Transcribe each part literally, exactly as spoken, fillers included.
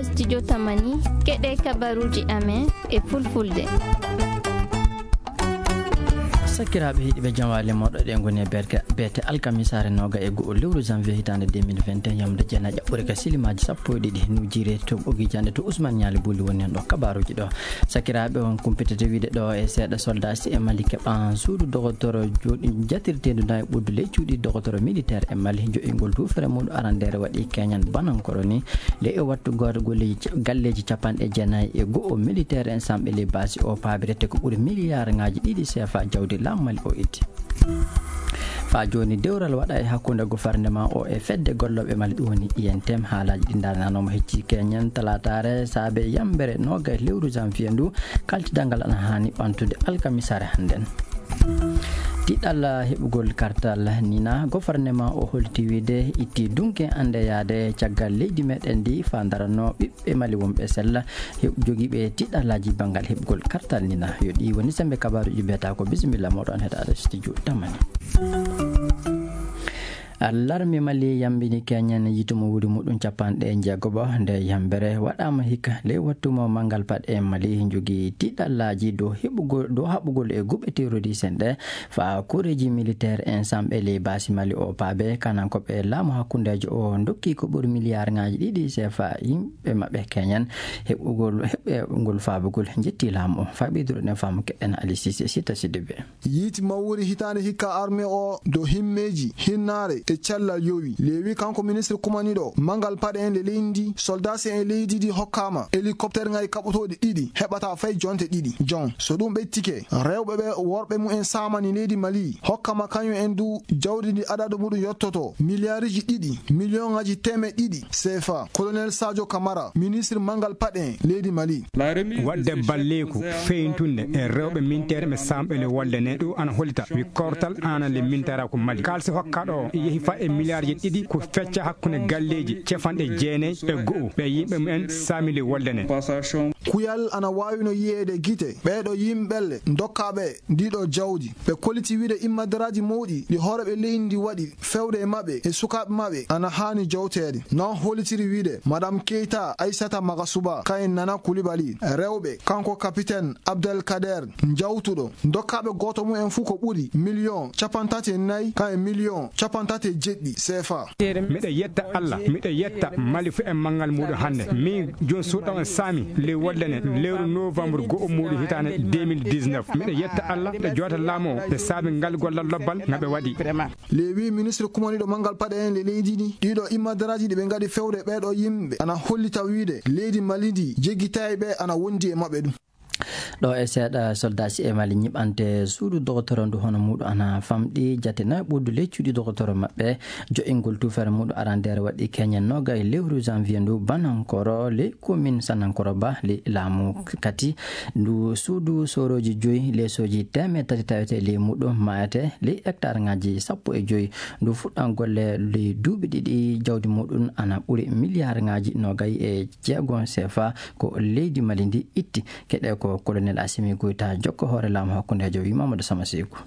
Studio Tamani, keɗe kabaruuji amen e fulfulde. Sakiraaɓe heɗiiɓe, jam waali moɗo ɗe ngoni e berke, beete alkamisaare nooga e go'o lewru janvier hitaande deux mille vingt et un, yamde jeenayi ƴaɓɓure ka silimaaji sappo e ɗiɗi nujire to ɓogi jande to Ousmane Ñaali Buli woni heen ɗo kabaruuji ɗo. Sakiraaɓe, on kumpitete wiide ɗo e seeɗa soldat si e Mali keɓan suudu dogotoro jooɗi jatirteendu na e ɓuddu ley cuuɗi dogotoro militaire e Mali jo'ingol tuufere muɗum arandeere waɗi keñan banankoro ni. Ley e wattu gooto golleeji ca-, galleeji capanɗe jeenayi e go'o militaire en samɓe ley baasi o paabirete ko ɓuri miliyaar ŋaaji ɗiɗi seefa jawdi laamu Mali o itti. Faa jooni dewral waɗa e hakkunde gofarnema o e fedde gollooɓe Mali ɗum woni I N T M. Haalaaji ɗi ndaarnanooma hecci keñen talaataare saabe yambere nooga e lewru janvier ndu. Kaltidal ngal ana haani ɓantude alkamisaare hannden. Tiɗal heɓugol kartal nina, gofarnema o holti wiide itti dunke anndeyaade caggal leydi meɗen ndi faa ndaranno ɓiɓɓe Mali wonɓe sella he-, jogiiɓe tiɗalaaji banngal heɓugol kartal nina. Yo ɗi woni sembe kabaaruuji mbiyata ko bisimilla moɗon heɗaade studio Tamani. Larme Mali yambini keñen yitu mo wuuri muɗum capanɗe jeegoɓo nde yambere waɗaama hikka ley wattu mo manngal paɗe Mali jogii tiɗalaaji dow heɓugol, dow haɓugol e guɓe terroriste en ɗe faa koreeji militaire en samɓe ley baasi Mali o paabe. Kanankoɓe laamu hakkundeejo o ndokki ko ɓuri miliyaar ŋaaji ɗiɗi seefa yimɓe maɓɓe keñen heɓugol, heɓɓe ngol faabugol. Njetti laamu o. Faa ɓeydude ɗen faamu keɗen Ali Sise Sita Sidibé. Yiiti mawri hitaande hikka armée o dow himmeeji, hinnaare e cellal yowi. Leewi kanko ministre kumaniiɗo manngal paɗe en le leydi ndi, soldat si en leydi ndi hokkaama hélicoptère ŋaaji kaɓotooɗi ɗiɗi, heɓata fay jonte ɗiɗi. Jon, so ɗum ɓettike, rewɓe ɓe worɓe mumen saamani leydi Mali, hokkama kañum en du jawdi ndi adadu muɗum yottoto miliyaariji ɗiɗi, miliyoŋaaji teemeɗɗe ɗiɗi seefa. Colonel Sadio Camara, ministre manngal paɗe en leydi Mali. Waɗde balleeku feeñtunde e rewɓe minteere ɓe samɓe le wolde ne, ɗum ana hollita wi kortal ana le minteera ko Mali. Kaalisi hokkaɗo yehi fa e miliyaarji ɗiɗi ko fecca hakkunde galleeji capanɗe jeenayi e go'o ɓe yimɓe mumen saami le wolde ne. Kuyal ana waawino yiyeede gite ɓeeɗo yimɓe le dokkaaɓe ndiɗo jawdi. Ɓe kolliti wiide immadaraaji mawɗi ɗi hooreeɓe leydi ndi waɗi fewde e maɓɓe e sukaaɓe maɓɓe ana haani jowteede. Non hollitiri wiide Madame Keita Aissata Magasuba, kayen Nana Coulibaly, rewɓe, kanko capitaine Abdelkader, jawtuɗo, dokkaaɓe gooto mumen fuu ko ɓuri miliyoŋ capantati e nayi, kayen miliyoŋ capantati e jeɗɗi seefa. Miɗo yetta Allah, miɗo yetta Mali fuu e manngal muɗum hannde. Min jooni suuɗo on saami ley wolde ne, lewru novembre go'o muɗum hitaande deux mille dix-neuf. Miɗo yetta Allah, miɗo joota laamu o, ɓe saabi ngal gollal lobbal nga ɓe waɗi. Leewi ministre kumaniiɗo manngal paɗe en le leydi ndi, ɗiɗo immadaraaji ɗi ɓe ngaɗi fewde ɓeeɗo yimɓe ana hollita wiide leydi Mali ndi jeggitaaɓe ana wondi e maɓɓe ɗum. Ɗo e seeɗa, soldat si e Mali ñiɓante suudu dogotoro ndu hono muɗum ana famɗi jate nayi ɓuddu ley cuuɗi dogotoro maɓɓe. Jo'ingol tuufere muɗum arandeere waɗi keñen noogayi lewru janvier ndu banankoro ley commune Sanankoro ba ley laamu Kati. Ndu suudu soorooji joyi, leesooji teemeɗɗe tati tawete ley muɗum, maayete ley hectare ŋaaji sappo e joyi. Ndu fuɗɗan golle ley duuɓi ɗiɗi, jawdi muɗum ana ɓuri miliyaar ŋaaji noogayi e jeego seefa ko leydi Mali ndi itti. Keɗe ko colonel Assimi Goïta, jokko hoore laamu hakkundeejo, wi Mamadou Sama Seeku.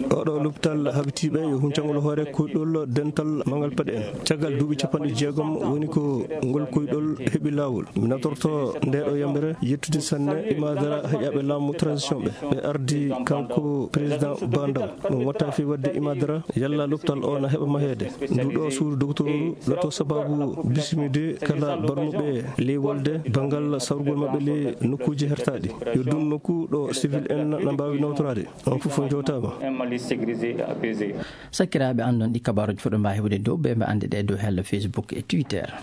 Oɗo lopital habitiiɓe yo huncangol hoore kuyɗol dental manngal paɗe en. Caggal duuɓi capanɗe jeegom woni ko ngol kuyɗol heɓi laawol. Mi natorto nde ɗo yambere yettude sanne imadara heƴaaɓe laamu transition ɓe. Ɓe ardi kanko président Ba Ndaw. Ɗum watta fi waɗde imadara yalla lopital o na heɓa maheede. Ndu ɗo suudu docteur lato sababu bismide kala barmuɓe ley wolde banngal sawrugol maɓɓe ley nokkuuji hertaaɗi. Yo ɗum nokku ɗo civil en na mbaawi nawtoraade. On fof on jowtaama. Sakiraaɓe, anndon ɗi kabaaruuji fof ɗo mbaawi heɓude dow ɓe, ɓe annde ɗe dow hella Facebook e Twitter.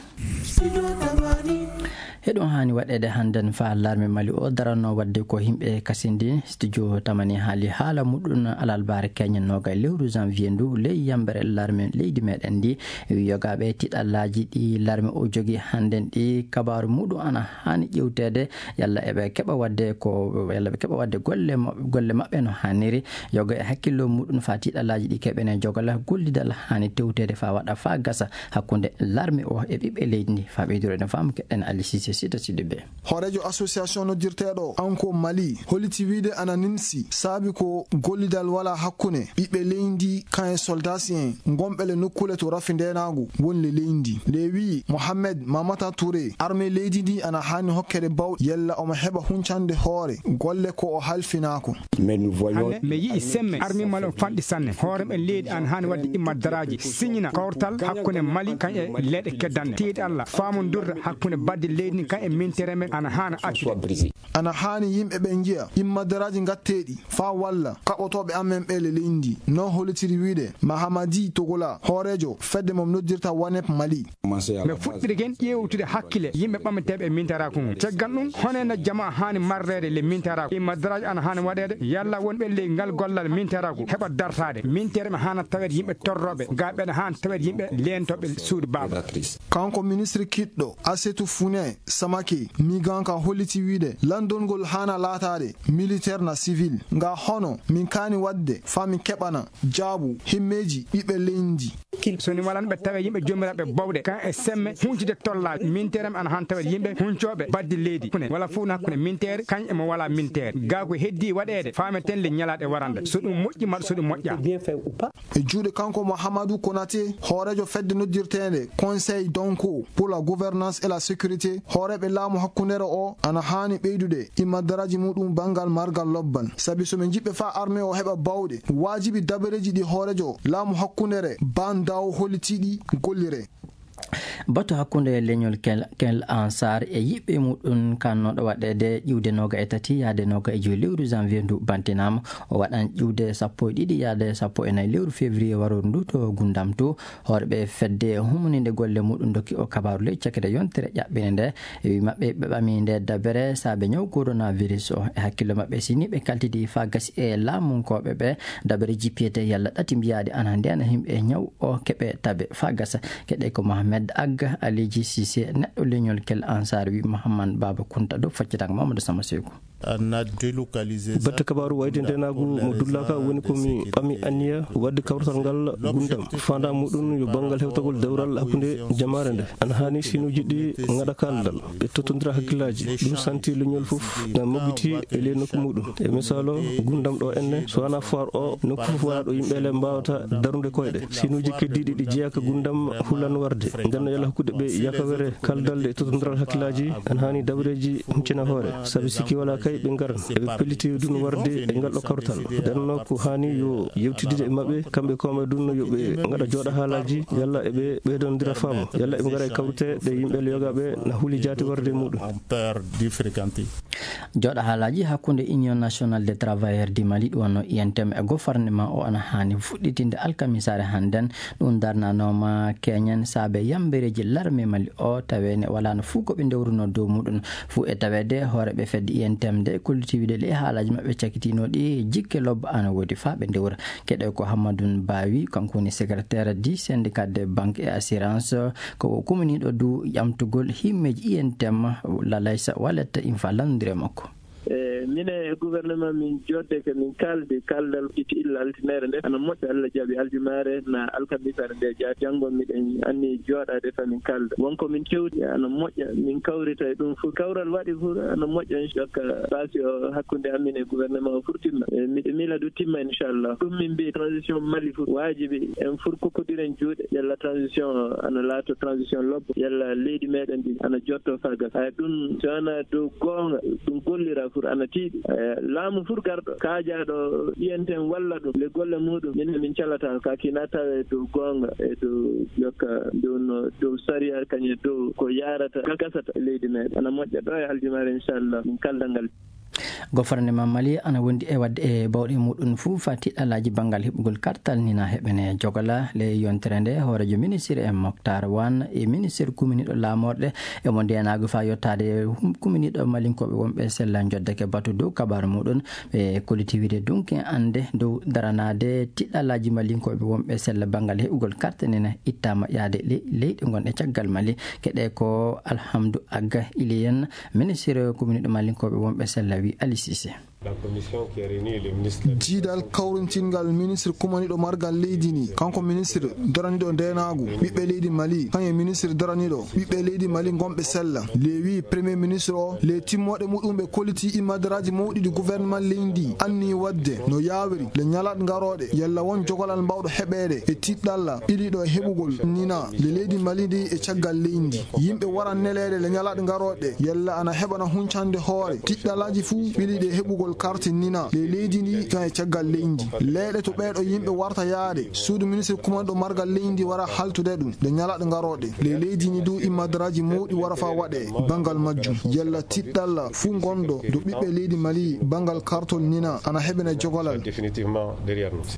Heɗum haani waɗeede hannden faa larme Mali o daranno waɗde ko yimɓe kasindi. Studio Tamani haali haala muɗum alalbaare keñen noogayi lewru janvier ndu ley yambere larme leydi meɗen ndi. Yogaaɓe tiɗallaaji ɗi larme o jogii hannden ɗi kabaaru muɗum ana haani ƴewteede yalla eɓe keɓa waɗde ko, yalla ɓe keɓa waɗde golle ma-, golle maɓɓe no haaniri. Yoga e hakkillo muɗum faa tiɗallaaji ɗi keɓene jogala gollidal haani tewteede faa waɗa faa gasa hakkunde larme o e ɓiɓɓe leydi ndi. Faa ɓeydude no faamu keɗen Ali Sise Sita Sidibe. Hooreejo association noddirteeɗo Anko Mali holliti wiyde ana nimsi saabi ko gollidal wala hakkunde ɓiɓɓe leydi kan e soldasi en gonɓe le nokkuule to rafi ndeenaagu woni le leydi. Nde wiyi Mohamed Mamata Touré, armée leydi ndi ana haani hokkede bawɗe yalla omo heɓa huncande hoore golle ko o halfinaako. Hannde mi yi'i semme armée Mali on fanɗi sanne. Hoore men leydi ana haani waɗde immaddaraaji, siñina kawtal hakkunde Mali kan e leyɗe keddanɗe. Tiiɗalla faamondirde hakkunde badde leydi ndi kan e mintere men ana haana accude. Ana haani yimɓe ɓe njiya immaddaraaji ngatteeɗi faa walla kaɓotooɓe amen ɓe le leydi ndi. No hollitiri wiyde Mahamadi Togola, hooreejo fedde mo noddirta wanep Mali. Mi fuɗɗiri gen ƴeewtude hakkille yimɓe ɓamteeɓe e mintaraaku ngun. Caggal ɗum, honee no jamaa haani marreede le mintaraaku? Immaddaraaji ana haani waɗeede yalla wonɓe ley ngal gollal mintaraaku heɓa dartaade. Mintere ɓe haana taweede yimɓe torrooɓe, gaa ɓeɗa haani taweede yimɓe leentooɓe suudu baaba. Kanko ministre kiɗɗo Asetu Fune Samake, miganka holliti wiyde lanndol ngol haana laataade militaire na civil. Nga hono min kaani waɗde faa min keɓana jaabu himmeeji ɓiɓɓe leydi. So ni walan ɓe tawe yimɓe joomiraaɓe bawɗe, kan e semme huncide tollaaji. Minteere ana han tawe yimɓe huncooɓe baddi leydi. Kune wala fuu na kune minteere, kañ e mo wala minteere. Gaa ko heddi waɗeede, faameten le ñalaaɗe warande. So ɗum moƴƴi, maa so ɗum moƴƴa. E juuɗe kanko Mouhamadou Konaté, hooreejo fedde noddirteende Conseil Donko pour la gouvernance et la sécurité, hooreeɓe laamu hakkundeere o ana haani ɓeydude immadaraaji muɗum banngal margal lobbal. Sabi so ɓe njiɗɓe faa armée o heɓa baawɗe, waajibi dabareeji ɗi hooreejo laamu hakkundeere Ban Daw hollitiiɗi gollire. Batu hakkunde leñol Kel, Kel Ansar e yiɓɓe muɗum kannooɗo waɗeede ƴiwde nooga e tati yaade nooga e joyi lewru janvier ndu bantinaama. O waɗan ƴiwde sappo e ɗiɗi yaade sappo e nayi lewru février warooru ndu to Gundam to. Hoorɓe fedde humuninde golle muɗum dokki o kabaaru ley cakkere yontere ƴaɓɓinde nde. E wi maɓɓe ɓe ɓami nde dabere saabe ñaw coronavirus o. E hakkillo maɓɓe, si ni ɓe kaltidi faa gasi e laamunkooɓe ɓe, dabere jippiyete yalla ɗati mbiyaade ana ndeena yimɓe ñaw o keɓe tabe faa gasa. Keɗe ko Mohamed Ag Aliji Sise, neɗɗo leñol Kel Ansar, wi Mohamed Baba Kunta dow faccitaango Mamadou Sama Seku. Batte kabaaru wayde ndeenaagu mo dullaaka woni ko mi ɓami anniya waɗde kawrital ngal Gundam. Faandaa muɗum yo banngal hewtagol dewral hakkunde jamaare nde. Ana haani sinuuji ɗi ngaɗa kaaldal e tottondira hakkillaaji. Ɗum santi leñol fof na moggiti e ley nokku muɗum. E misaalo, Gundam ɗo enne, so wanaa foire o, nokku fof wonaa ɗo yimɓe le mbaawata darude koyɗe. Sinuuji keddiiɗi ɗi jeyaa ka Gundam hulan warde. Nden no yalla hokkude ɓe yakawere kaldal e tottondiral hakkillaaji, ana haani dabareeji huccina hoore. Sabi sikki walaa kay ɓe ngaran. Eɓe pelliti ɗum warde e ngal ɗo kawrital. Nden no ko haani yo yewtidde e maɓɓe, kamɓe koome ɗum no yo ɓe ngaɗa jooɗa haalaaji, yalla eɓe ɓeydondira faamu, yalla eɓe ngara e kawrite ɗe yimɓe le yogaaɓe na huli jaati warde e muɗum. Jooɗa haalaaji hakkunde Union Nationale des Travailleurs du Mali, ɗum wonno I N T M e gouvernement o ana haani fuɗɗitinde alkamisaare hannden. Ɗum darnanooma keñen saabe yambereeji larme Mali o, taweene walaano fuu ko ɓe ndewruno dow muɗum. Fuu e taweede hooreeɓe fedde I N T M de kolliti wiide ɗe haalaaji maɓɓe cakitiinooɗi jikke lobba ana woodi faa ɓe ndewra. Keɗe ko Hammadou Bawi, kanko woni secrétaire du syndicat des banques et assurance, ko o kuminiiɗo du ƴamtugol himmeeji I N T M, Lalaysa Wallet, in fa lanndire makko. E mine e gouvernement min jodde ke min kaldi kaldal iti illa altineere nde ana moƴƴa. Allah jaɓi aljumaare na alkamisaare nde ja-, janngo miɗen anni jooɗaade fa min kalda. Wonko min kewti ana moƴƴa, min kawrita e ɗum fof. Kawral waɗi fof ana moƴƴa, inchallah. Basi o hakkunde amin e gouvernement o fof timma. E miɗo mila du timma, inchallah. Ɗum min mbi transition Mali fof waajibi en fof kokkodiren juuɗe. Yalla transition o ana laato transition lobbo. Yalla leydi meɗen ndi ana jotto fa gas. Ay ɗum so ana dow goonga, ɗum gollira fof ana tiiɗi. Eh, laamu fof garɗo, kaajaaɗo I N T M walla ɗum, le golle muɗum, min min calata ka kina tawe dow goonga e dow jokka, dow no, dow sariya, kañe dow ko yarata, ka gasata e leydi meɗen. Ana moƴƴa ɗo e aljumaare, inchallah, min kalda ngal. Gouvernement Mali ana wondi e waɗde e bawɗe muɗum fof faa tiɗɗalaaji banngal heɓugol kartal nina heɓene jogala. Le yontere nde, hooreejo ministre en Moctar Wan e ministre kuminiiɗo laamorɗe e mo ndeenaagu faa yottaade hum-, kuminiiɗo malinkooɓe wonɓe sella njoddake batu dow kabaaru muɗum. Ɓe kolliti wiide dunki annde dow daranaade tiɗɗalaaji malinkooɓe wonɓe sella banngal heɓugol karte nene ittaama yaade le-, leyɗe gonɗe caggal Mali. Keɗe ko Alhamdu Agga Iliyen, ministre kuminiiɗo malinkooɓe wonɓe sella, wi Ali Sise. Jiidal kawrintingal ministre kumaniiɗo margal leydi ndi, kanko ministre daraniiɗo ndeenaagu, ɓiɓɓe leydi Mali, kañum e ministre daraniiɗo ɓiɓɓe leydi Mali ngonɓe sella. Le wii premier ministre o, le timmooɗe muɗum ɓe kolliti immadaraaji mawɗi ɗi gouvernement leydi ndi anni waɗde no yaawiri le ñalaat ngarooɗe, yalla won jogalal mbawɗo heɓeede e tiɗɗalla ɓiliiɗo e heɓugol nina le leydi Mali ndi e caggal leydi. Yimɓe waran neleede le ñalaat ngarooɗe, yalla ana heɓana huncande hoore tiɗɗalaaji fuu ɓiliiɗe e heɓugol karte nina le leydi ndi kan e caggal leydi. Leeɗe to ɓeeɗo yimɓe warta yaade, suudu ministre kumanɗo margal leydi ndi wara haltude ɗum le ñalaat ngarooɗe. Le leydi ndi du immadaraaji mawɗi wara fa waɗe banngal majjum. Yalla tiɗɗalla fuu ngonɗo do ɓiɓɓe leydi Mali banngal kartol nina ana heɓene jogalal. Définitivement derrière nous.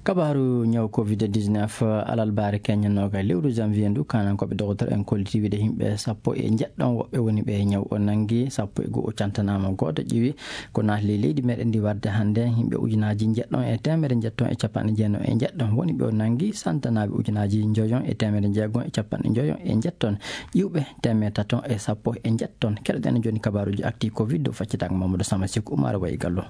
Kabaaru ñaw covid dix-neuf, alarbaare keññannooka e lewru janvier ndu, kaanankooɓe doktor en kolliti wiide yimɓe sappo e njeɗɗon woɓɓe woni ɓe ñaw o nanngi, sappo e go'o cantanaama, gooto ƴiwi. Ko naati ley leydi meɗen ndi warde hannde, yimɓe ujunaaji njeɗɗon e teemedere njeɗɗon e capanɗe jeenayi e njeɗɗon woni ɓe o nanngi, santanaaɓe ujunaaji njoyon e teemedere njeegom e capanɗe njoyon e njeɗɗon, ƴiwɓe teemedere taton e sappo e njeɗɗon. Keɗoɗen jooni kabaaruuji actu covid dow faccitaango Mamadou Sama Seku Umar Wayi Gallo.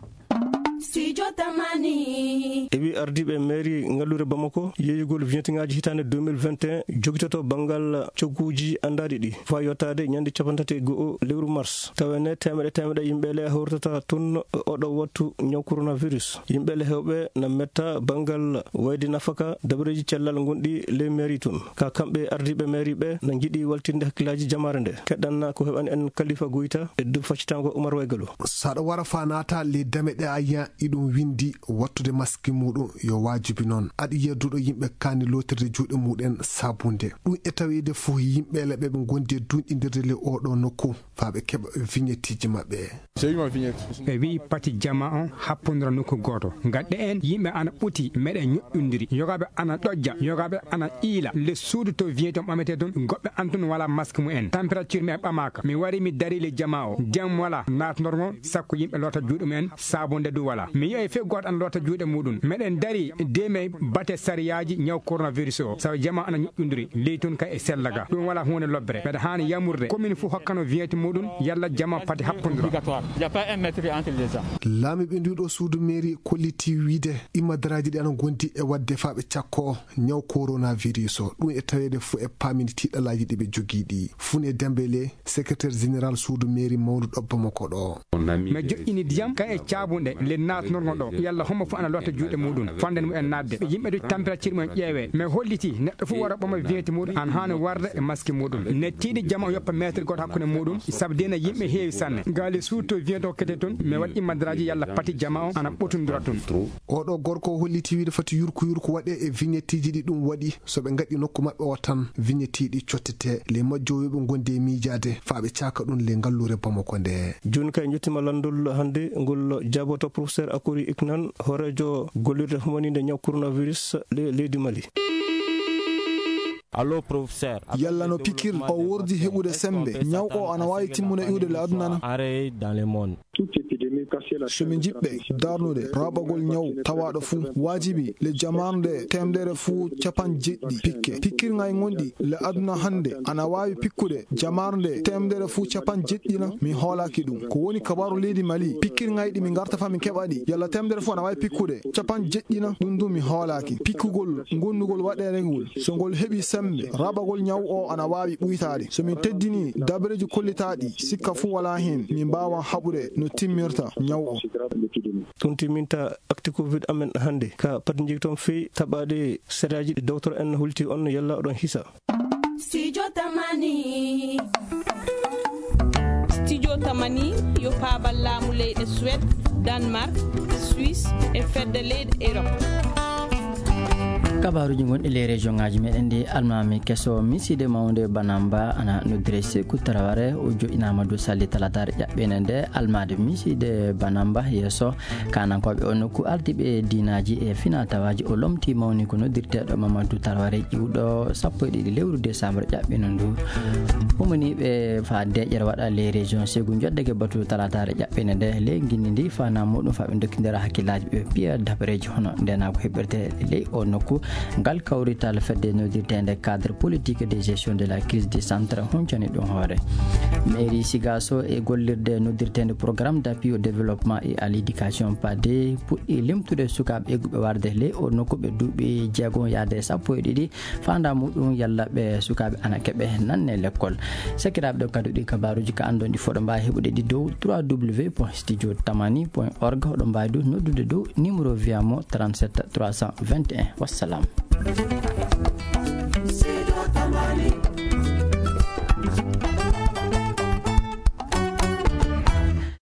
Studio Tamani. E wi ardiiɓe mairie ngalluure Bamako, yeeyugol vignettingaaji hitaande deux mille vingt et un jogitoto banngal cogguuji anndaaɗi ɗi, faa yottaade ñande cappanɗe tati e go'o lewru mars. Tawa ne teemeɗe teemeɗe yimɓe le hawritata toon oɗo wattu ñaw coronavirus. Yimɓe le heewɓe na metta banngal wayde nafaka dabareeji cellal ngonɗi ley mairie toon. Ka kamɓe ardiiɓe mairie ɓe na njiɗi waltinde hakkillaaji jamaare nde. Keɗɗan ko heɓani en Kalifa Goyta e dow faccitaango Umar Waygalo. Saɗa wara fa naata le dame ɗe a yiya iɗum windi wattude maski muɗum yo waajibi noon. Aɗa yiya duɗo yimɓe kaani lootirde juuɗe muɗen sabunde. Ɗum e taweede fof yimɓe le ɓe ɓe ngondi e duunɗindirde le oɗo nokku faa ɓe keɓa vignetteeji maɓɓe. Ɓe wi'i pati jama on happondira nokku gooto. Ngadde en yimɓe ana ɓuti meɗen ñoƴƴondiri. Yogaaɓe ana ɗojja, yogaaɓe ana iila. Le suudu to vignette on ɓametee toon, goɓɓe an toon wala mask mu en. Température mi en ɓamaaka. Mi wari mi dari le jama o. Jam wala naatnorgo sakko yimɓe loota juuɗe mu en, sabunde du wala. Mi yi'ay fey gooto ana loota juuɗe muɗum. Meɗen dari de mi bate sariyaaji ñaw coronavirus o. Sabu jama ana ñoƴƴondiri. Ley toon kay e sella ga. Ɗum wala huunde lobbere. Mbeɗa haani yamurde. Commune fof hokkano vignette muɗum, yalla jama pati happondira. Obligatoire. Il y a pas un mètre entre les gens. Laamiiɓe ndu ɗo suudu mairie kolliti wiide immadaraaji ɗi ana ngondi e waɗde faa ɓe cakko ñaw coronavirus o. Ɗum e taweede fof e paamini tiiɗalaaji ɗi ɓe jogii ɗi. Fune Dembele, secrétaire général suudu mairie mawndu ɗo Bamako ɗo. Mi joƴƴini ndiyam ka e caabunɗe le naatnorgo ɗo. Yalla hombo fof ana lotta juuɗe muɗum. Fanden mu en naatde. Yimɓe du température mu en ƴeewe. Mi holliti neɗɗo fof wara ɓama vignette muɗum. An haani warde e maski muɗum. Nettiiɗi jama o yoppa mètre goto hakkunde muɗum. Sabu dina yimɓe heewi sanne. Gaali suuto vignette hokkete toon. Mi waɗi immadaraaji yalla pati jama o ana ɓotondira toon. Oɗo gorko o holliti wiide fati yurku yurku waɗe e vignetteeji ɗi ɗum waɗi. So ɓe ngaɗi nokku maɓɓe o tan vignetteeji ɗi cottete. Le majjo yoɓe ngondi e miijaade faa ɓe caaka ɗum le ngalluure Bamako nde. Jooni kay njottima lanndol hannde ngol jaaboto professeur Akori Iknan, hooreejo gollirde humaninde ñaw coronavirus le-, leydi Mali. Allo, professeur. Yalla no pikir o wordi heɓude sembe? Ñaw o ana waawi timmude iwde le aduna na? Arrêt dans le monde. So min njiɗɓe darnude raɓagol ñaw tawaaɗo fuu, waajibi le jamaarnde teemedere fuu capanɗe jeɗɗi pikke. Pikkirŋay ngonɗi le aduna hannde ana waawi pikkude jamaarnde teemedere fuu capanɗe jeɗɗi na? Mi hoolaaki ɗum. Ko woni kabaaru leydi Mali? Pikkirŋay ɗi min ngarta fa min keɓa ɗi. Yalla teemedere fuu ana waawi pikkude capanɗe jeɗɗi na? Ɗum du mi hoolaaki. Pikkugol, ngondugol waɗeere ngol, so ngol heɓi sembe, raɓagol ñaw o ana waawi ɓuytaade. So min teddini dabareeji kollitaaɗi, sikka fuu walaa heen, min mbaawa haɓude no timmirta ñaw o. Ɗum timminta actu covid amen hannde. Ka pati njeyton fii taɓaaɗe seraaji ɗi docteur en holti on yalla oɗon hisa. Studio Tamani. Studio Tamani yo paabal laamu leyɗe Suède, Danemark, Suisse e fedde leyɗe Europe. Kabaaruuji gonɗi ley région ŋaaji meɗen ɗi, almaami keso misiide mawnde Banamba ana noddire Seku Taraware, o joƴƴinaama dow salli talataare ƴaɓɓeende nde. Almaade misiide Banamba yeeso kaanankooɓe o nokku, ardiiɓe diinaaji e finaa tawaaji, o lomti mawni ko noddirteeɗo Mamadou Taraware ƴiwɗo sappo e ɗiɗi lewru décembre ƴaɓɓino ndu. Humaniiɓe faa deeƴere waɗa ley région Ségou njoddake batu talataare ƴaɓɓeende nde ley nginndi ndi, fana muɗum faa ɓe ndokkindira hakkillaaji ɓe piya dabareeji hono ndenaagu heɓirte ley o nokku. Ngal kawrital fedde noddirteende cadre politique de gestion de la crise du centre huncani ɗum hoore. Mairie Sigaso e gollirde noddirteende programme d'appui au développement et à l'éducation pade puɗɗi limtude sukaaɓe egguɓe warde ley o nokku ɓe duuɓi jeego yaade sappo e ɗiɗi. Faandaa muɗum yalla ɓe sukaaɓe ana keɓe nanne lekkol. Sakiraaɓe, ɗo kadi ɗi kabaaruuji ka anndon ɗi foɗo mbaawi heɓude ɗi dow trois w point studio tamani point org. Oɗo mbaawi du noddude dow numéro via mo trente-sept trois cent vingt et un. Wassalam.